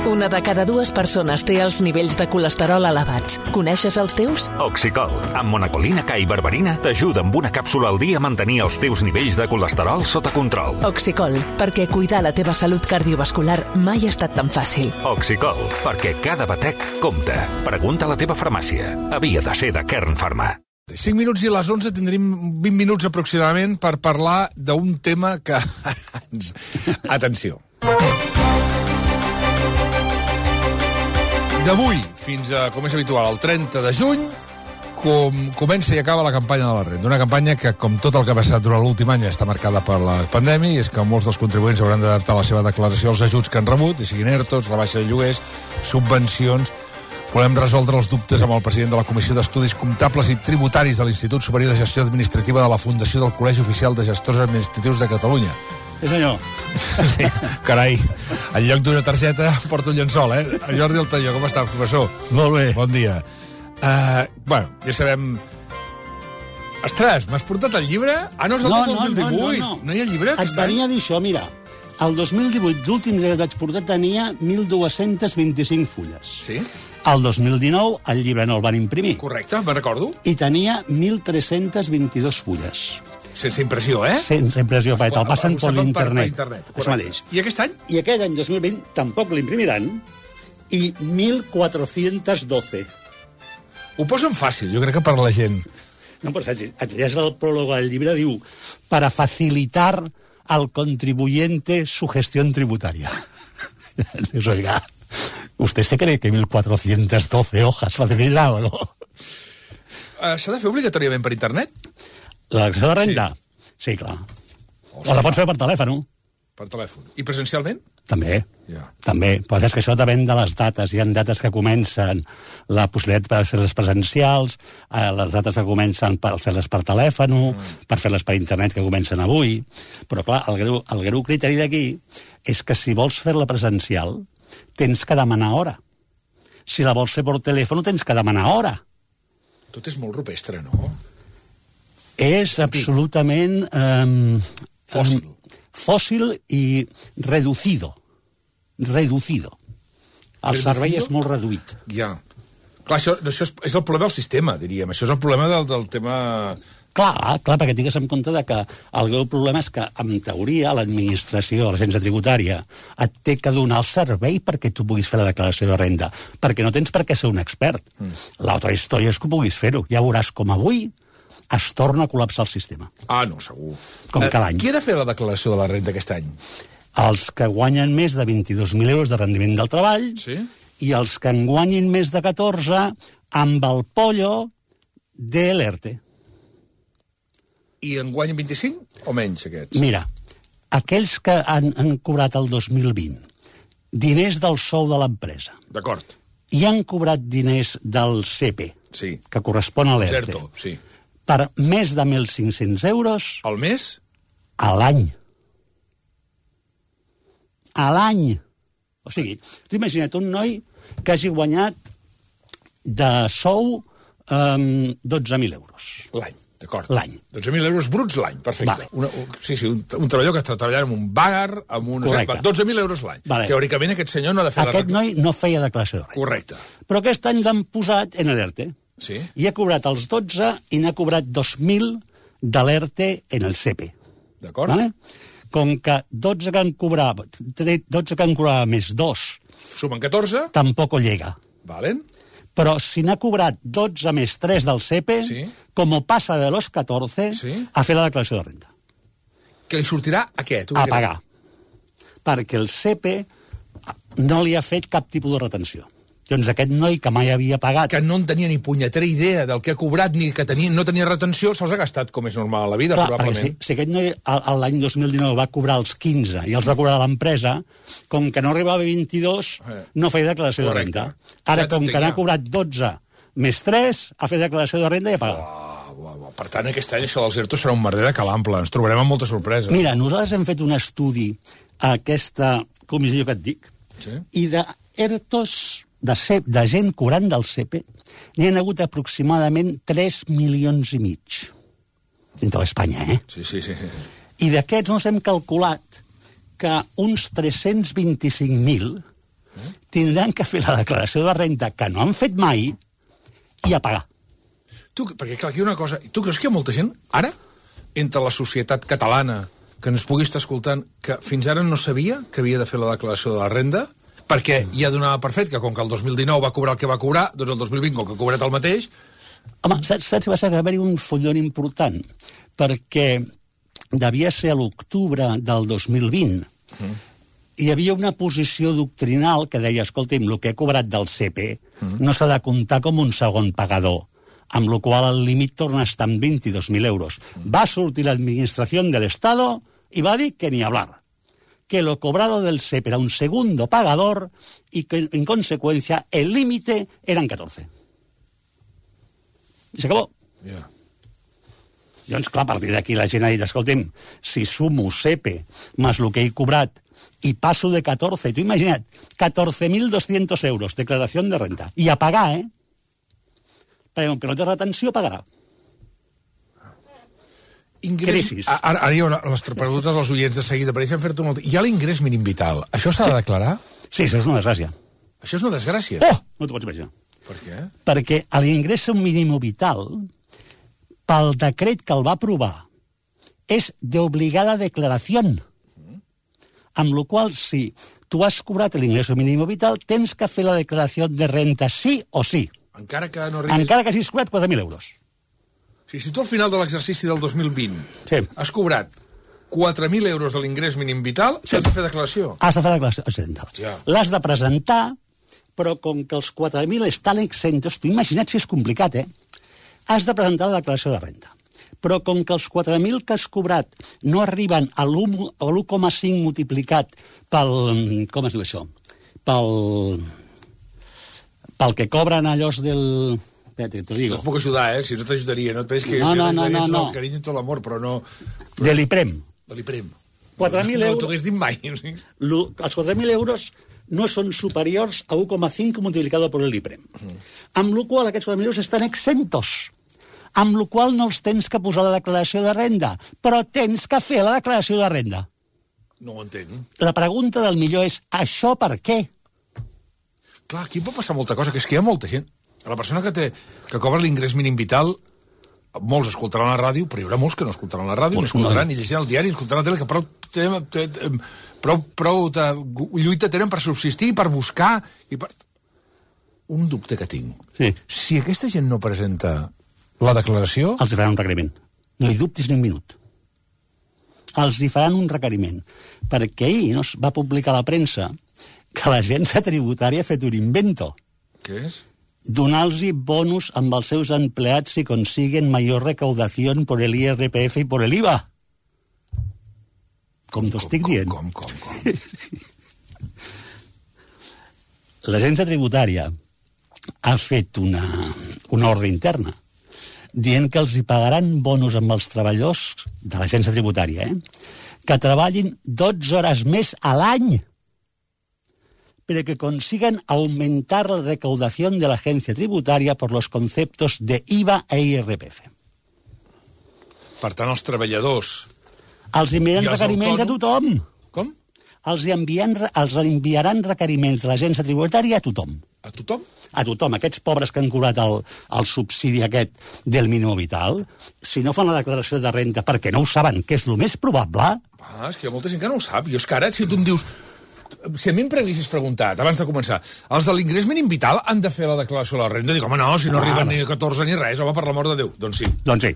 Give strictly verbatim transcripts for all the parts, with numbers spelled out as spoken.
Una de cada dues persones té els nivells de colesterol elevats. Coneixes els teus? Oxicol, amb monacolina K i berberina, t'ajuda amb una càpsula al dia a mantenir els teus nivells de colesterol sota control. Oxicol, perquè cuidar la teva salut cardiovascular mai ha estat tan fàcil. Oxicol, perquè cada batec compta. Pregunta a la teva farmàcia. Havia de ser de Kern Pharma. cinc minuts i a les onze tindrem vint minuts aproximadament per parlar d'un tema que... Atenció. D'avui fins a, com és habitual, el trenta de juny, com comença i acaba la campanya de la renda. Una campanya que, com tot el que ha passat durant l'últim any, està marcada per la pandèmia, i és que molts dels contribuents hauran d'adaptar la seva declaració als ajuts que han rebut, i siguin ERTOs, rebaixa de lloguers, subvencions. Volem resoldre els dubtes amb el president de la Comissió d'Estudis Comptables i Tributaris de l'Institut Superior de Gestió Administrativa de la Fundació del Col·legi Oficial de Gestors Administratius de Catalunya. Sí, senyor. Sí, carai, en lloc d'una targeta porto un llençol, eh? Jordi Altaió, com està, professor? Molt bé. Bon dia. Uh, bueno, ja sabem... Ostres, m'has portat el llibre? Ah, no, és el No, del no, dos mil divuit. no, no. No hi ha llibre Et aquest any? venia a dir això, mira. El dos mil divuit, l'últim que vaig portar, tenia mil dos-cents vint-i-cinc fulles. Sí? El dos mil dinou, el llibre no el van imprimir. Correcte, me'n recordo. I tenia mil tres-cents vint-i-dos fulles. Sense impressió, eh? Sense impressió, perquè te'l passen Ho per saben internet. Per internet, Això correcte. mateix. I aquest any? I aquest any, dos mil vint, tampoc l'imprimiran, i mil quatre-cents dotze. Ho posen fàcil, jo crec que per la gent. No, però saps, et llegeix el pròleg del llibre, diu, para facilitar al contribuyente su gestión tributaria. Dius, oiga, ¿usted se cree que mil cuatrocientas doce hojas facilita o no? Uh, S'ha de fer obligatòriament per internet? La declaració de renda? Sí, sí clar. O la pots fer per telèfon, Per telèfon. I presencialment? també. Ja. També, però és que això depèn de les dates. Hi ha dates que comencen la possibilitat per fer-les presencials, eh, les dates que comencen per fer-les per telèfon, mm. per fer-les per internet que comencen avui. Però, clar, el greu, el greu criteri d'aquí és que si vols fer-la presencial, tens que demanar hora. Si la vols fer per telèfon, tens que demanar hora. Tot és molt rupestre, no? És absolutament... Eh, Fòssil. Fòssil i reducido. Reducido. El Reducido? servei és molt reduït. Ja. Clar, això, això és, és el problema del sistema, diríem. Això és el problema del, del tema... Clar, clar, perquè tingues en compte de que el greu problema és que, en teoria, l'administració, l'agència tributària, et té que donar el servei perquè tu puguis fer la declaració de renda, perquè no tens per què ser un expert. Mm. L'altra història és que puguis fer-ho. Ja veuràs com avui es torna a col·lapsar el sistema. Ah, no, segur. Com cada any. Qui ha de fer la declaració de la renda aquest any? Els que guanyen més de vint-i-dos mil euros de rendiment del treball Sí? i els que en guanyin més de catorze amb el pollo de l'ERTE. I en guanyen vint-i-cinc o menys, aquests? Mira, aquells que han, han cobrat el dos mil vint diners del sou de l'empresa D'acord. i han cobrat diners del C P, Sí. que correspon a l'ERTE, Certo, sí. per més de mil cinc-cents euros Al mes? a l'any. A l'any. O sigui, tu imagina't un noi que hagi guanyat de sou um, dotze mil euros. L'any, d'acord. L'any. dotze mil euros bruts l'any, perfecte. Vale. Una, un, sí, sí, un, un treballador que està treballant en un bagar, amb un... Correcte. dotze mil euros l'any. Vale. Teòricament aquest senyor no ha de fer Aquest la... noi no feia declaració de renda. Correcte. Però aquest any l'han posat en l'ERTE. Sí. I ha cobrat els dotze i n'ha cobrat dos mil de l'ERTE en el C P. D'acord. Vale? Com que dotze que han cobrat, dotze que han cobrat més dos, Sumen catorze. tampoc ho llega. Valen. Però si n'ha cobrat dotze més tres del C P, Sí. com passa de los catorze, Sí. a fer la declaració de renda. Que li sortirà a què? Tu A què pagar. Perquè el C P no li ha fet cap tipus de retenció. Doncs aquest noi que mai havia pagat... Que no en tenia ni punyetera idea del que ha cobrat, ni que tenia, no tenia retenció, se'ls ha gastat com és normal a la vida, Clar, perquè probablement. si, si aquest noi a- a l'any dos mil dinou va cobrar els quinze i els va cobrar a l'empresa, com que no arribava a vint-i-dos, Eh. no feia declaració Correcte. de renda. Ara, Ja com t'entenc, que n'ha ja. cobrat dotze més tres, ha fet declaració de renda i ha pagat. Ah, buah, buah. Per tant, aquest any això dels ERTO serà un merder de calample. Ens trobarem amb molta sorpresa. Mira, nosaltres hem fet un estudi a aquesta comissió que et dic, Sí. i de ERTOs, de, C, de gent cobrant del C P, n'hi ha hagut aproximadament tres milions i mig. En tota Espanya, eh? Sí, sí, sí. sí. I d'aquests ens hem calculat que uns tres-cents vint-i-cinc mil tindran que fer la declaració de renta que no han fet mai i a pagar. Tu, perquè, clar, aquí hi ha una cosa... Tu creus que hi ha molta gent, ara, entre la societat catalana, que ens pugui estar escoltant, que fins ara no sabia que havia de fer la declaració de la renda, perquè ja donava per fet que, com que el dos mil dinou va cobrar el que va cobrar, doncs el dos mil vint, com que ha cobrat el mateix... Home, saps, saps que va ser haver-hi un follon important? Perquè devia ser a l'octubre del dos mil vint. Mm. Hi havia una posició doctrinal que deia, escolti'm, el que he cobrat del C E P mm. no s'ha de comptar com un segon pagador, amb la qual el límit torna a estar en vint-i-dos mil euros. Mm. Va sortir l'administració de l'Estado i va dir que ni hablar, que lo cobrado del C E P era un segundo pagador y que, en consecuencia, el límite eran catorze. I s'acabó. Yeah. Doncs, clar, a partir d'aquí la gent ha dit, escolti'm, si sumo C E P més el que he cobrat i passo de catorze, tu imagina't, catorze mil dos-cents euros, declaració de renta. I a pagar, eh? Perquè com que no té retenció, pagarà. Ingrés... Crisis. Ara, ara hi ha una, les preguntes als oients de seguida, pareixen fer-te molt... Hi ha l'ingrés mínim vital. Això s'ha de declarar? Sí, això és una desgràcia. Això és una desgràcia? Oh! No t'ho pots imaginar. Per què? Perquè l'ingrés mínim vital, pel decret que el va aprovar, és d'obligada declaració. Mm. Amb la qual, si tu has cobrat l'ingrés mínim vital, tens que fer la declaració de renta sí o sí. Encara que no arribis... Encara que hagis cobrat quatre mil euros. Si, si tu al final de l'exercici del dos mil vint sí. has cobrat quatre mil euros de l'ingrés mínim vital, sí. has de fer declaració. Has de fer declaració. Ja. L'has de presentar, però com que els quatre mil estan exentos, tu imagina't si és complicat, eh? Has de presentar la declaració de renta. Però com que els quatre mil que has cobrat no arriben a l'u coma cinc multiplicat pel... Com es diu això? Pel... pel que cobren allòs del... Espérate, te digo. No et puc ajudar, eh? Si no t'ajudaria, no et penses que no, no, no, no, tot no. el carinyo i tot l'amor, però no... Però... De l'IPREM. De l'IPREM. quatre mil euros... No t'ho hagués dit mai. Sí? Lo, els quatre mil euros no són superiors a u coma cinc multiplicat per l'IPREM. Mm. Amb la qual aquests quatre mil euros estan exentos. Amb la qual no els tens que posar la declaració de renda, però tens que fer la declaració de renda. No ho entenc. La pregunta del millor és, això per què? Clar, aquí pot passar molta cosa, que és que hi ha molta gent. La persona que, té, que cobra l'ingrés mínim vital, molts escoltaran la ràdio, però hi haurà molts que no escoltaran la ràdio, ni escoltaran, ni llegiran el diari, ni escoltaran la tele, que prou, prou, prou, prou de, lluita tenen per subsistir, per buscar... I per... Un dubte que tinc. Sí. Si aquesta gent no presenta la declaració... Els hi faran un requeriment. No hi dubtis ni un minut. Els hi faran un requeriment. Perquè ahir no, va publicar a la premsa que l'agència tributària ha fet un invento. Què és? Donar-los bonus amb els seus empleats si consiguen major recaudació per l'I R P F i per l'IVA. Com t'ho estic dient. Com, com, com, com. L'agència tributària ha fet una, una ordre interna dient que els hi pagaran bonus amb els treballadors de l'agència tributària, eh? que treballin dotze hores més a l'any para que consigan aumentar la recaudación de la agencia tributaria por los conceptos de I V A e I R P F. Per tant, els treballadors... Els enviaran requeriments autònoms... a tothom. Com? Els, enviant, els enviaran requeriments de l'agència tributària a tothom. A tothom? A tothom. Aquests pobres que han cobrat el, el subsidi aquest del mínim vital, si no fan la declaració de renta perquè no ho saben, que és el més probable... Ah, és que hi ha molta gent que no ho sap. Jo és que ara, si tu em dius... Si a mi em haguessis preguntat, abans de començar, els de l'ingrés mínim vital han de fer la declaració de la renda? Dic, home, no, si no ah, arriben ni a catorze ni res, home, per l'amor de Déu. Doncs sí. Doncs sí.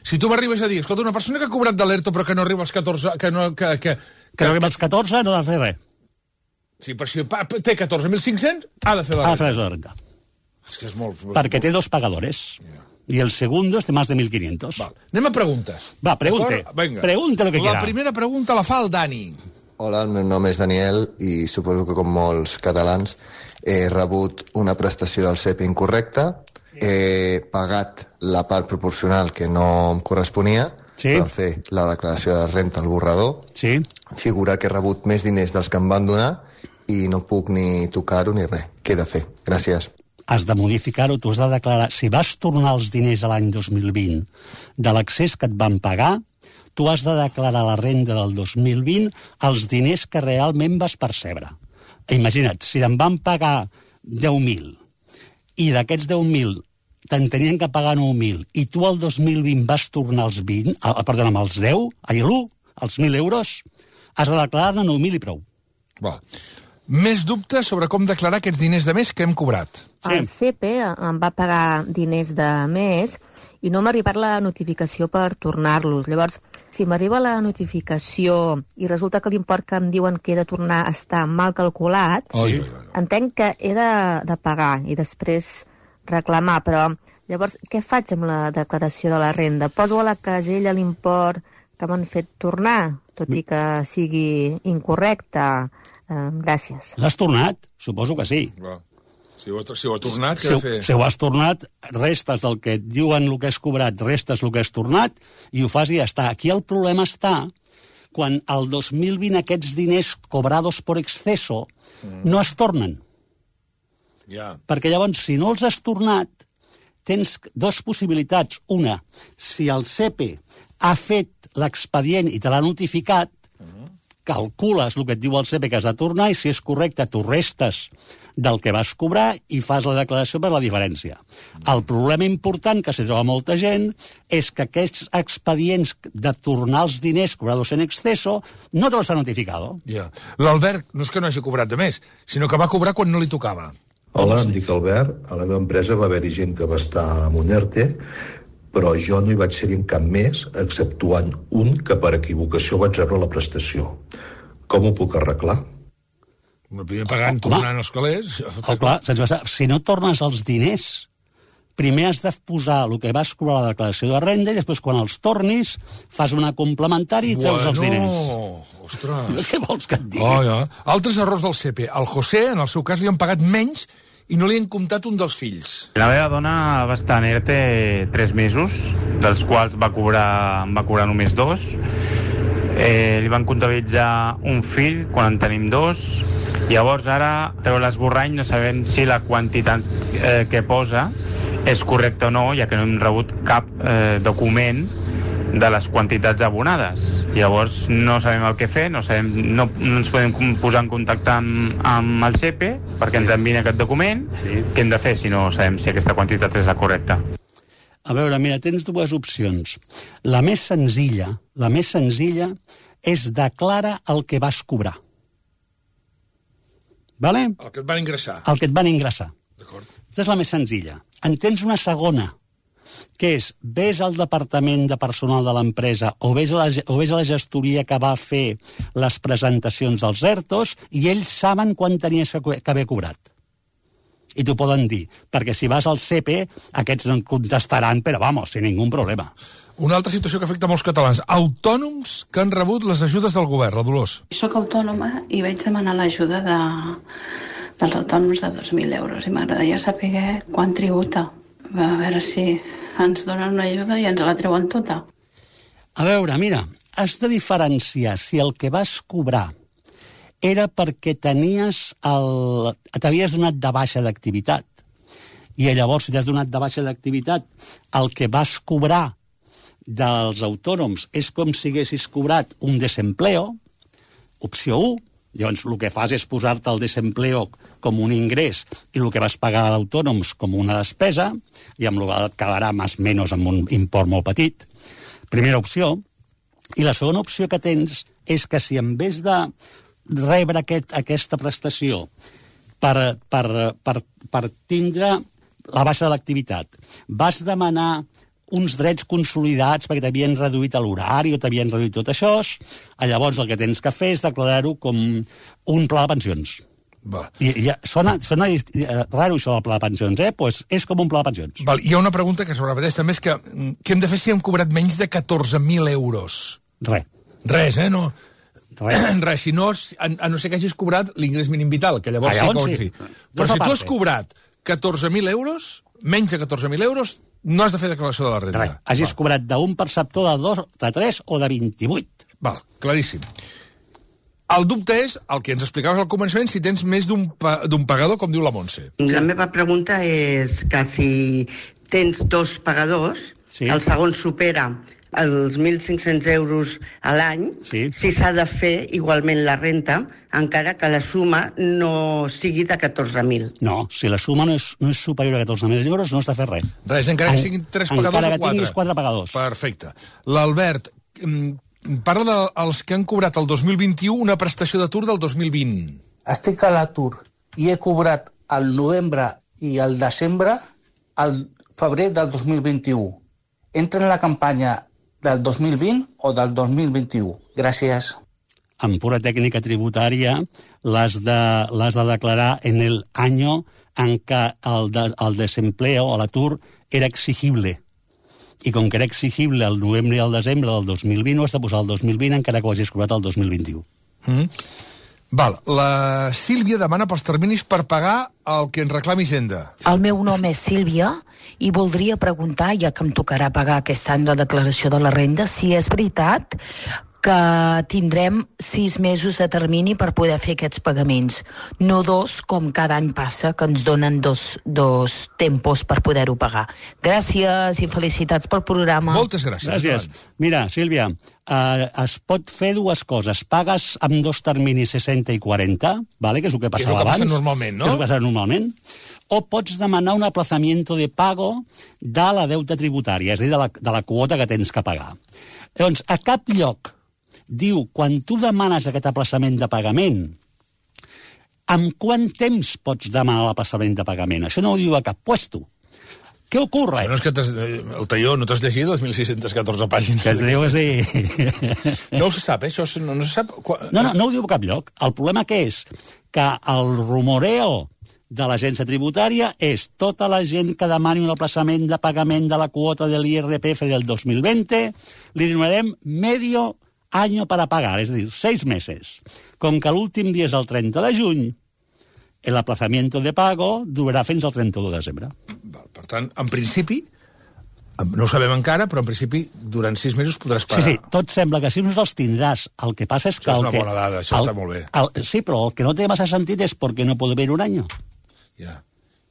Si tu m'arribes a dir, escolta, una persona que ha cobrat de l'ERTO però que no arriba als catorze... Que no, que, que, que, que no arriba als catorze no ha de fer res. Sí, però si té catorze mil cinc-cents, ha de fer la renta. Ha de fer la renta. És que és molt... Perquè té dos pagadores. Yeah. Y el segundo es de más de mil quinientos. Val. Anem a preguntes. Va, pregunte. Pregunte lo que quiera. La primera pregunta la fa el Dani. Hola, el meu nom és Daniel i suposo que com molts catalans he rebut una prestació del C E P incorrecta, he pagat la part proporcional que no em corresponia sí. per fer la declaració de renta al borrador, sí. figura que he rebut més diners dels que em van donar i no puc ni tocar-ho ni res. Què he de fer? Gràcies. Has de modificar-ho, tu has de declarar... Si vas tornar els diners a l'any dos mil vint de l'accés que et van pagar, tu has de declarar la renda del dos mil vint els diners que realment vas percebre. Imagina't, si em van pagar deu mil i d'aquests deu mil te'n tenien que pagar nou mil i tu el dos mil vint vas tornar els vint, ah, perdona, amb els deu, ai, l'u, els mil euros, has de declarar-ne nou mil i prou. Va. Més dubtes sobre com declarar aquests diners de més que hem cobrat. Sí. El C P em va pagar diners de més i no m'ha arribat la notificació per tornar-los. Llavors, si m'arriba la notificació i resulta que l'import que em diuen que he de tornar està mal calculat, sí. entenc que he de, de pagar i després reclamar, però llavors què faig amb la declaració de la renda? Poso a la casella l'import que m'han fet tornar, tot i que sigui incorrecte? Eh, gràcies. L'has tornat? Suposo que sí. Va. Si ho, si ho ha tornat, què si, ha de fer? Si ho has tornat, restes del que et diuen el que has cobrat, restes el que has tornat, i ho fas i ja està. Aquí el problema està quan el dos mil vint aquests diners cobrados por exceso mm. no es tornen. Ja. Perquè llavors, si no els has tornat, tens dues possibilitats. Una, si el C P ha fet l'expedient i te l'ha notificat, mm. calcules el que et diu el C P que has de tornar i si és correcte, tu restes del que vas cobrar i fas la declaració per la diferència. El problema important que s'hi troba molta gent és que aquests expedients de tornar els diners cobrados en exceso no te los ha notificado. Ja. L'Albert no és que no hagi cobrat de més, sinó que va cobrar quan no li tocava. Hola, em dic Albert. A la meva empresa va haver-hi gent que va estar amb un ERTE, però jo no hi vaig ser en cap mes, exceptuant un que per equivocació vaig rebre la prestació. Com ho puc arreglar? Primer pagant, tornant els calés... Oh, clar, si no tornes els diners, primer has de posar el que vas cobrar a la declaració de renda i després, quan els tornis, fas una complementària i treus bueno, els diners. Ostres! Què vols que et digui? Oh, ja. Altres errors del C P. Al José, en el seu cas, li han pagat menys i no li han comptat un dels fills. La meva dona va estar en ERTE tres mesos, dels quals va cobrar, va cobrar només dos. Eh, li van comptabilitzar un fill quan en tenim dos. Llavors ara, treu l'esborrany, no sabem si la quantitat eh, que posa és correcta o no, ja que no hem rebut cap eh, document de les quantitats abonades. Llavors no sabem el que fer, no, sabem, no, no ens podem posar en contacte amb, amb el C P perquè sí. ens envien aquest document. Sí. Què hem de fer si no sabem si aquesta quantitat és la correcta? A veure, mira, tens dues opcions. La més senzilla, la més senzilla és declara el que vas cobrar. Vale? El que et van ingressar. El que et van ingressar. D'acord. Aquesta és la més senzilla. En tens una segona, que és, ves al departament de personal de l'empresa o ves, a la, o ves a la gestoria que va fer les presentacions dels ERTOs i ells saben quan tenies que, que haver cobrat. I t'ho poden dir, perquè si vas al C P, aquests no et contestaran, però vamos, sin ningú problema. Una altra situació que afecta molts catalans. Autònoms que han rebut les ajudes del govern, la Dolors. Soc autònoma i vaig demanar l'ajuda de, dels autònoms de dos mil euros i m'agradaria saber quan tributa. A veure si ens donen una ajuda i ens la treuen tota. A veure, mira, has de diferenciar si el que vas cobrar era perquè tenies el... t'havies donat de baixa d'activitat. I llavors, si t'has donat de baixa d'activitat, el que vas cobrar dels autònoms és com si haguessis cobrat un desempleo, opció u, llavors el que fas és posar-te el desempleo com un ingrés i el que vas pagar d'autònoms com una despesa, i amb el que et quedarà més o menys amb un import molt petit. Primera opció. I la segona opció que tens és que si en vez de rebre aquest, aquesta prestació per, per, per, per tindre la baixa de l'activitat, vas demanar uns drets consolidats perquè t'havien reduït l'horari o t'havien reduït tot això, llavors el que tens que fer és declarar-ho com un pla de pensions. Va. I, i sona, sona raro això del pla de pensions, eh? Pues és com un pla de pensions. Val. Hi ha una pregunta que sobre repeteix també, és que què hem de fer si hem cobrat menys de catorze mil euros? Res. Res, eh? No... Res. Res, si no, a, a no ser que hagis cobrat l'ingrés mínim vital, que llavors, ah, llavors sí que ho sí. has Però si tu has cobrat catorze mil euros, menys de catorze mil euros, no has de fer declaració de la renda. Res. Hagis Va. cobrat d'un perceptor de dos, de tres o de vint-i-vuit. Val, claríssim. El dubte és, el que ens explicaves al començament, si tens més d'un pa, d'un pagador, com diu la Montse. La meva pregunta és que si tens dos pagadors, sí. el segon supera els mil cinc-cents euros a l'any, sí. si s'ha de fer igualment la renta, encara que la suma no sigui de catorze mil. No, si la suma no és, no és superior a catorze mil euros, no has de fer res. Res, encara que siguin tres pagadors o quatre. Encara que tinguis quatre pagadors. Perfecte. L'Albert parla dels que han cobrat el dos mil vint-i-u una prestació d'atur del dos mil vint. Estic a l'atur i he cobrat al novembre i al desembre al febrer del dos mil vint-i-u. Entra en la campanya del dos mil vint o del dos mil vint-i-u. Gràcies. En pura tècnica tributària l'has de, l'has de declarar en el año en què el, de, el desempleo o l'atur era exigible. I com que era exigible el novembre i el desembre del dos mil vint, ho has de posar el dos mil vint encara que ho hagis cobrat el dos mil vint-i-u. Mm. Val, la Sílvia demana pels terminis per pagar el que ens reclami Hisenda. El meu nom és Sílvia i voldria preguntar, ja que em tocarà pagar aquest any la declaració de la renda, si és veritat que tindrem sis mesos de termini per poder fer aquests pagaments, no dos, com cada any passa, que ens donen dos, dos tempos per poder-ho pagar. Gràcies i felicitats pel programa. Moltes gràcies. Gràcies. Mira, Sílvia, eh, es pot fer dues coses. Pagues amb dos terminis seixanta i quaranta, vale? Que és el que passava abans. Que és el que passa normalment, no? Que és el que passa normalment. O pots demanar un aplazamiento de pago de la deuta tributària, és a dir, de la, de la quota que tens que pagar. Llavors, a cap lloc diu, quan tu demanes aquest aplaçament de pagament, amb quant temps pots demanar l'aplaçament de pagament? Això no ho diu a cap puesto. Què ocorre? No és que el talló no t'has llegit dos mil sis-cents catorze pàgines. Que es diu que sí. No se sap, eh? Això no, no se sap. No, no, no ho diu a cap lloc. El problema que és que el rumoreo de l'agència tributària és tota la gent que demani un aplaçament de pagament de la quota de l'I R P F del dos mil vint, li donarem medio año para pagar, és a dir, seis meses. Com que l'últim dia és el trenta de juny, l'aplazamiento de pago durarà fins al trenta-u de desembre. Per tant, en principi, no ho sabem encara, però en principi durant sis mesos podràs pagar. Sí, sí, tot sembla que sí, no els tindràs. El que passa és que... Això és una que, bona dada, això el, està molt bé. El, sí, però el que no té massa sentit és perquè no pot haver un any. Ja,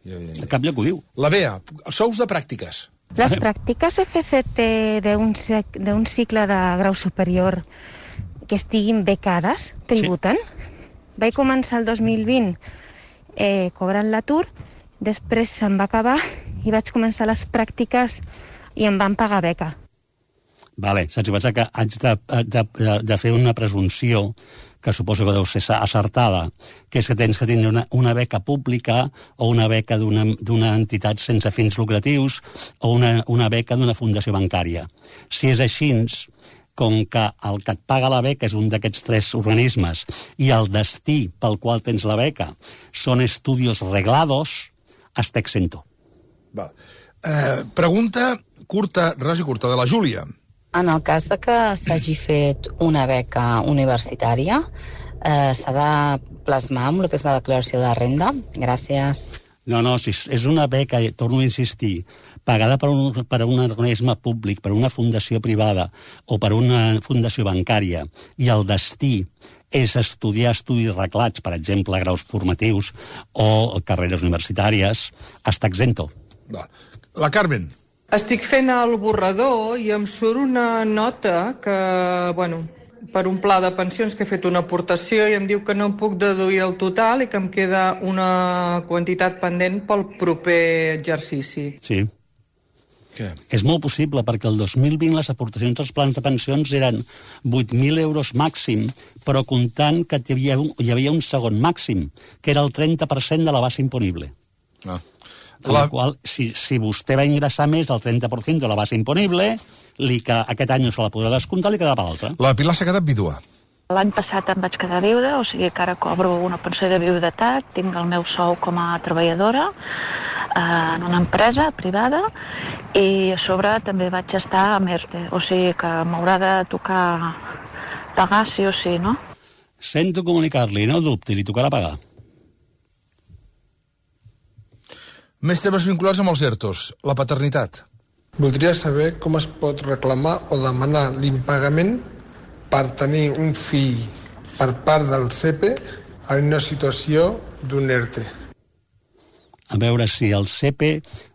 ja, ja. A cap lloc ho diu. La Bea, sous de pràctiques. Las prácticas F C T de un, de un cicle de grau superior que estiguin becades tributen. Sí. Vaig començar el dos mil vint eh, cobrant l'atur, després se'm va acabar i vaig començar les pràctiques i em van pagar beca. Vale, saps què passa? Que haig de, de, de fer una presumpció que suposo que deu ser acertada, que és que tens que tindre una, una beca pública o una beca d'una entitat sense fins lucratius o una, una beca d'una fundació bancària. Si és així, com que el que et paga la beca és un d'aquests tres organismes i el destí pel qual tens la beca són estudios reglados, està exento. Va. Eh, pregunta curta, res i curta, de la Júlia. En el cas de que s'hagi fet una beca universitària, eh, s'ha de plasmar amb el que és la declaració de renda? Gràcies. No, no, si és una beca, torno a insistir, pagada per un, per un organisme públic, per una fundació privada o per una fundació bancària, i el destí és estudiar estudis reglats, per exemple, graus formatius o carreres universitàries, està exento. Va. La Carmen. Estic fent el borrador i em surt una nota que, bueno, per un pla de pensions que he fet una aportació i em diu que no em puc deduir el total i que em queda una quantitat pendent pel proper exercici. Sí. Què? És molt possible, perquè el dos mil vint les aportacions als plans de pensions eren vuit mil euros màxim, però comptant que hi havia un, hi havia un segon màxim, que era el trenta per cent de la base imponible. Ah. Amb la qual, si, si vostè va ingressar més del trenta per cent de la base imponible, li que aquest any no se la podrà descomptar, li quedarà per l'altre. La Pilar s'ha quedat vídua. L'any passat em vaig quedar viuda, o sigui que ara cobro una pensió de viudetat, tinc el meu sou com a treballadora eh, en una empresa privada i a sobre també vaig estar a ERTE, o sigui que m'haurà de tocar pagar sí o sí, no? Sento comunicar-li, no dubti, li tocarà pagar. Més temes vinculats amb els ERTOs. La paternitat. Voldria saber com es pot reclamar o demanar l'impagament per tenir un fill per part del C E P en una situació d'un ERTE. A veure si el C E P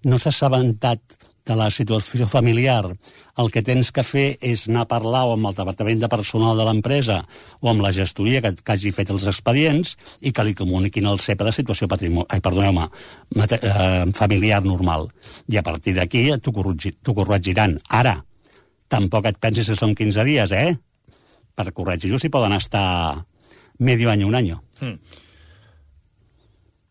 no s'ha assabentat de la situació familiar, el que tens que fer és anar a parlar o amb el departament de personal de l'empresa o amb la gestoria que, que hagi fet els expedients i que li comuniquin al C E P la situació patrimonial, ai, perdoneu-me, mate, eh, familiar normal. I a partir d'aquí t'ho corregir, corregiran. Ara, tampoc et pensis que són quinze dies, eh? Per corregir-ho s'hi poden estar medio any, un any. Mm.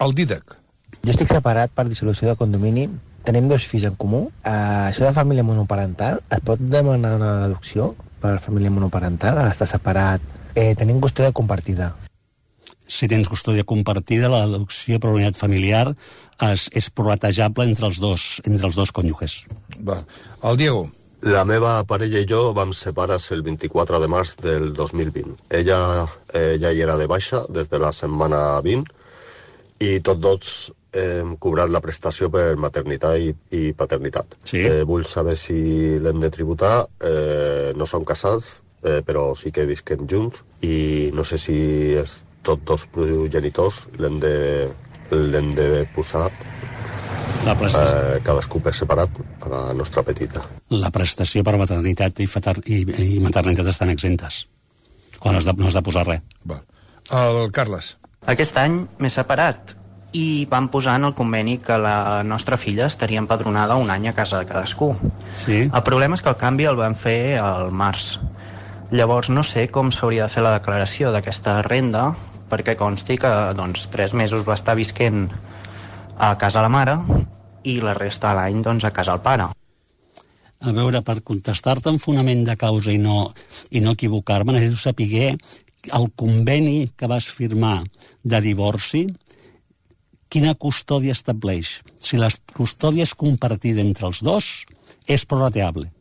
El Dídac. Jo estic separat per dissolució de condomini. Tenim dos fills en comú. Uh, això de família monoparental, es pot demanar una deducció per família monoparental a l'estar separat? Eh, tenim custòdia compartida. Si tens custòdia compartida, la deducció per unitat familiar és, és prorratejable entre els dos, entre els dos cònjuges. Va. El Diego. La meva parella i jo vam separar-se el vint-i-quatre de març del dos mil vint. Ella eh, ja hi era de baixa des de la setmana vint i tots dos hem cobrat la prestació per maternitat i, i paternitat. Sí. Eh, vull saber si l'hem de tributar. Eh, no som casats, eh, però sí que visquem junts i no sé si és tots dos progenitors l'hem de, l'hem de posar la prestació. Eh, cadascú per separat a la nostra petita. La prestació per maternitat i, fater, i, i maternitat estan exentes. Quan no has de, no has de posar res. Va. El Carles. Aquest any m'he separat i vam posar en el conveni que la nostra filla estaria empadronada un any a casa de cadascú. Sí. El problema és que el canvi el vam fer al març. Llavors no sé com s'hauria de fer la declaració d'aquesta renda, perquè consti que doncs, tres mesos va estar visquent a casa la mare i la resta de l'any doncs, a casa el pare. A veure, per contestar-te en fonament de causa i no, i no equivocar-me, necessito saber el conveni que vas firmar de divorci, quina custòdia estableix. Si la custòdia és compartida entre els dos, és prorrateable.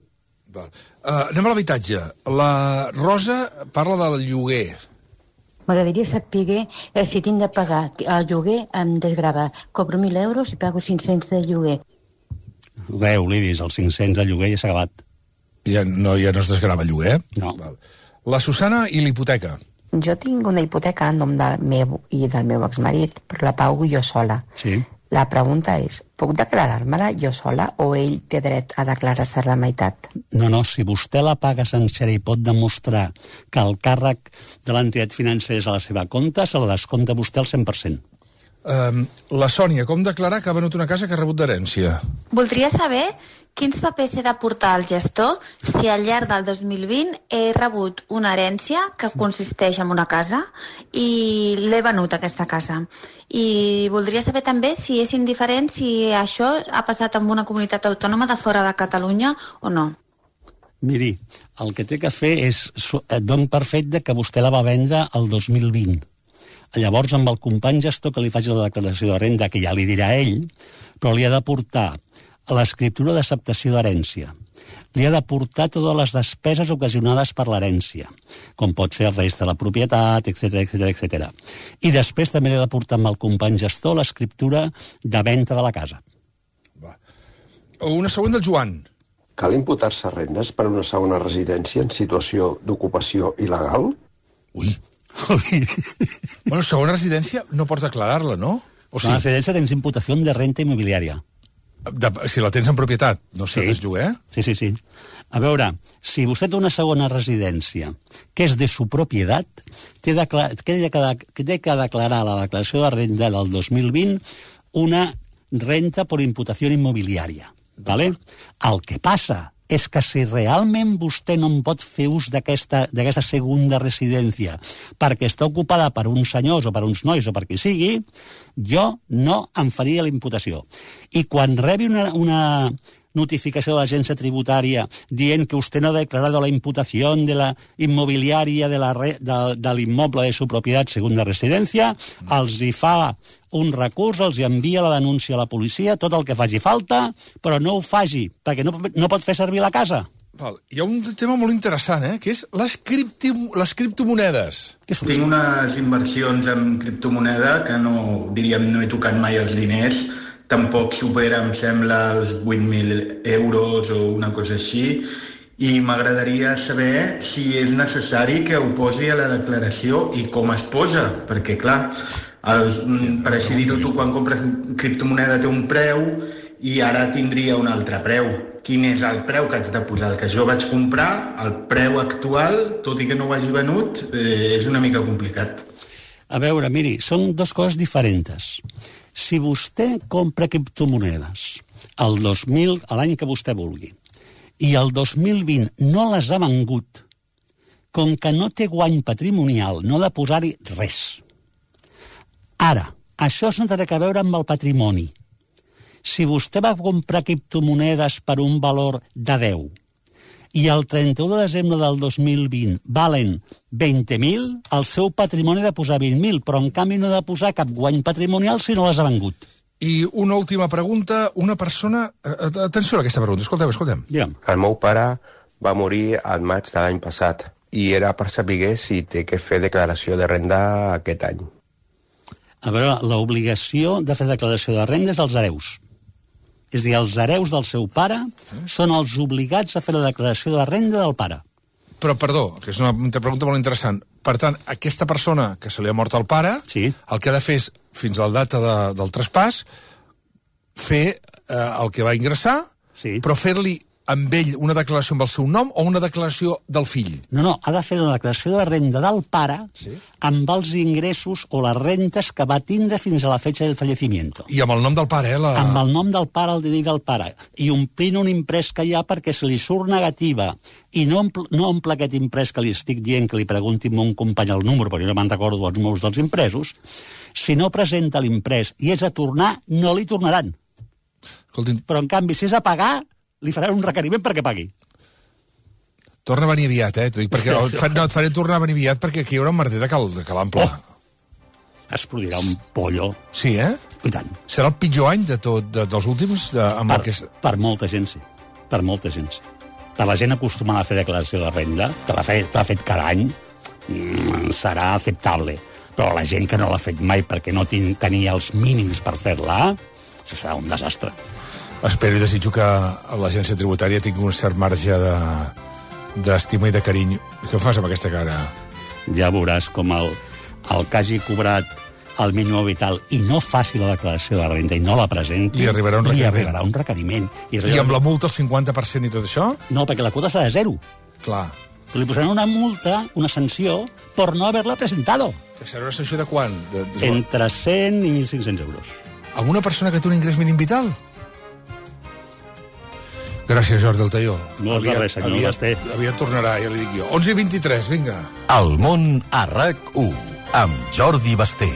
Uh, anem a l'habitatge. La Rosa parla del lloguer. M'agradaria saber eh, si tinc de pagar el lloguer em desgrava. Cobro mil euros i pago cinc-cents de lloguer. Veu, Lidis, els cinc-cents de lloguer ja s'ha acabat. Ja no, ja no es desgrava lloguer, eh? No. Val. La Susana i l'hipoteca. Jo tinc una hipoteca en nom del meu i del meu exmarit, però la pago jo sola. Sí. La pregunta és, puc declarar-me-la jo sola o ell té dret a declarar-se la meitat? No, no, si vostè la paga sencera i pot demostrar que el càrrec de l'entitat financera és a la seva compte, se la descompta vostè al cent per cent. Um, la Sònia, com declarar que ha venut una casa que ha rebut d'herència? Voldria saber quins papers he de portar al gestor si al llarg del dos mil vint he rebut una herència que consisteix en una casa i l'he venut, aquesta casa. I voldria saber també si és indiferent si això ha passat en una comunitat autònoma de fora de Catalunya o no. Miri, el que té que fer és don per fet de que vostè la va vendre el dos mil vint. Llavors, amb el company gestor que li faci la declaració de renda, que ja li dirà ell, però li ha de portar l'escriptura d'acceptació d'herència. Li ha de portar totes les despeses ocasionades per l'herència, com pot ser el rest de la propietat, etcètera, etcètera, etcètera. I després també li ha de portar amb el company gestor l'escriptura de venda de la casa. Va. Una següent del Joan. Cal imputar-se rendes per una segona residència en situació d'ocupació il·legal? Ui. Bueno, segona residència no pots declarar-la, no? O sigui, la residència tens imputació de renta immobiliària. De, si la tens en propietat, no sé, sí. Lloguer? Sí, sí, sí. A veure, si vostè té una segona residència que és de su propietat, té, declar, té, que, té que declarar a la declaració de renda del dos mil vint una renta per imputació immobiliària. ¿Vale? El que passa és que si realment vostè no en pot fer ús d'aquesta segunda residència perquè està ocupada per uns senyors o per uns nois o per qui sigui, jo no em faria la imputació. I quan rebi una, una notificació de l'agència tributària dient que vostè no ha declarat la imputació de la immobiliària de, la re, de, de l'immoble de su propietat segunda residència, els hi fa un recurs, els hi envia la denúncia a la policia, tot el que faci falta, però no ho faci, perquè no, no pot fer servir la casa. Val. Hi ha un tema molt interessant, eh? Que és les, cripti, les criptomonedes. Tinc unes inversions en criptomoneda que no, diríem, no he tocat mai els diners, tampoc supera, em sembla, els vuit mil euros o una cosa així, i m'agradaria saber si és necessari que ho posi a la declaració i com es posa, perquè, clar, els, sí, per així dir-ho, tu quan compres criptomoneda té un preu i ara tindria un altre preu. Quin és el preu que haig de posar? El que jo vaig comprar, el preu actual, tot i que no ho hagi venut, eh, és una mica complicat. A veure, miri, són dues coses diferents. Si vostè compra criptomonedes el dos mil, l'any que vostè vulgui, i el dos mil vint no les ha vengut, com que no té guany patrimonial, no ha de posar-hi res. Ara, això no té a veure amb el patrimoni. Si vostè va comprar criptomonedes per un valor de deu i el trenta-u de desembre del dos mil vint valen vint mil, el seu patrimoni ha de posar vint mil, però en canvi no ha de posar cap guany patrimonial si no les ha vengut. I una última pregunta, una persona... Atenció a aquesta pregunta, escolteu, escoltem. Digue'm. El meu pare va morir al maig de l'any passat i era per saber si té que fer declaració de renda aquest any. A veure, l'obligació de fer declaració de renda és als hereus. És a dir, els hereus del seu pare són els obligats a fer la declaració de renda del pare. Però, perdó, que és una pregunta molt interessant. Per tant, aquesta persona que se li ha mort el pare, sí. el que ha de fer és, fins a la data de, del traspàs, fer eh, el que va ingressar, sí. però fer-li amb ell una declaració amb el seu nom o una declaració del fill? No, no, ha de fer una declaració de renda del pare sí. amb els ingressos o les rentes que va tindre fins a la fecha del fallecimiento. I amb el nom del pare, eh? La... Amb el nom del pare, el D N I del pare. I omplint un imprès que hi ha perquè se li surt negativa i no, ompl no omple aquest imprès que li estic dient que li pregunti a un company el número, perquè jo no me'n recordo els números dels impresos. Si no presenta l'imprès i és a tornar, no li tornaran. Escoltin... Però, en canvi, si és a pagar, li faran un requeriment perquè pagui. Torna a venir aviat, eh? Perquè, no, et faré tornar a venir aviat perquè aquí hi haurà un merder de cal, de calample. Oh. Es produirà un pollo. Sí, eh? I tant. Serà el pitjor any de tot, de, dels últims? De, amb per, que... per molta gent, sí. Per molta gent, sí. Per la gent acostumada a fer declaració de renda, que l'ha fet, fet cada any, mm, serà acceptable. Però la gent que no l'ha fet mai perquè no tenia els mínims per fer-la, això serà un desastre. Espero i desitjo que l'agència tributària tingui un cert marge de d'estima i de carinyo. Què fas amb aquesta cara? Ja veuràs com el, el que hagi cobrat el mínim vital i no faci la declaració de renda i no la presenti, li arribarà un requeriment. Li arribarà un requeriment. I, I amb la multa el cinquanta per cent i tot això? No, perquè la quota serà zero. Clar. Li posaran una multa, una sanció, per no haver-la presentado. Que serà una sanció de quan? De, de... Entre cent i mil cinc-cents euros. A una persona que té un ingrés mínim vital? Gràcies, Jordi Altaió. No és de res, senyor aviat, Basté. Aviat tornarà, ja li dic jo. onze i vint-i-tres, vinga. El món a RAC u, amb Jordi Basté.